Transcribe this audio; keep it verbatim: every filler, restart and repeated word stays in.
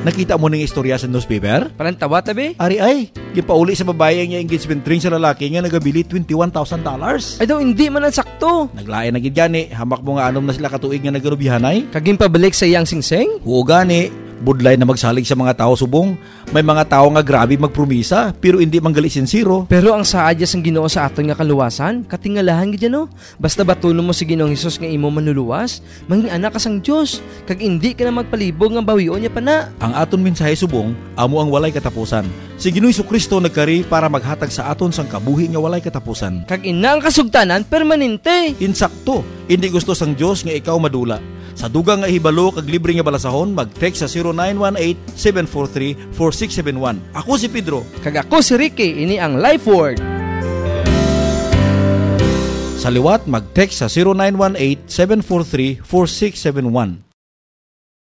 Nakita mo ning istorya sa newspaper? Palantawa, tabi? Ari ay, gipauli sa babayi ang iya engagement ring sa lalaki nga nagabili twenty-one thousand dollars. Ay daw, hindi man ang sakto. Naglain na gid gani, hamak mo nga anom na sila katuig nga nagkanubihanay. Kag ginpabalik sa iyang singsing? Oo gani, budlay na magsalig sa mga tawo subong. May mga tawo nga grabe magpromisa, pero hindi manggali sinsero. Pero ang saad ya sang Ginoo sa aton nga kaluwasan, katingalahan gid ya, no? Basta batunon mo si Ginoong Hesus nga imo manluluwas, mangin-anak ka sang Dios, kag indi ka na magpalibog nga bawion niya pa na. Ang aton mensahe subong amo ang walay katapusan. Si Ginoong Jesu-Cristo nagkari para maghatag sa aton sang kabuhi nga walay katapusan. Kag ina ang kasugtanan permanente. Insakto, indi gusto sang Dios nga ikaw madula. Sa dugang nga hibalo kag libre nga balasahon, mag-text sa zero nine one eight, seven four three, four six seven one. Ako si Pedro. Kag ako si Ricky, ini ang Life Word. Sa liwat, mag-text sa zero nine one eight, seven four three, four six seven one.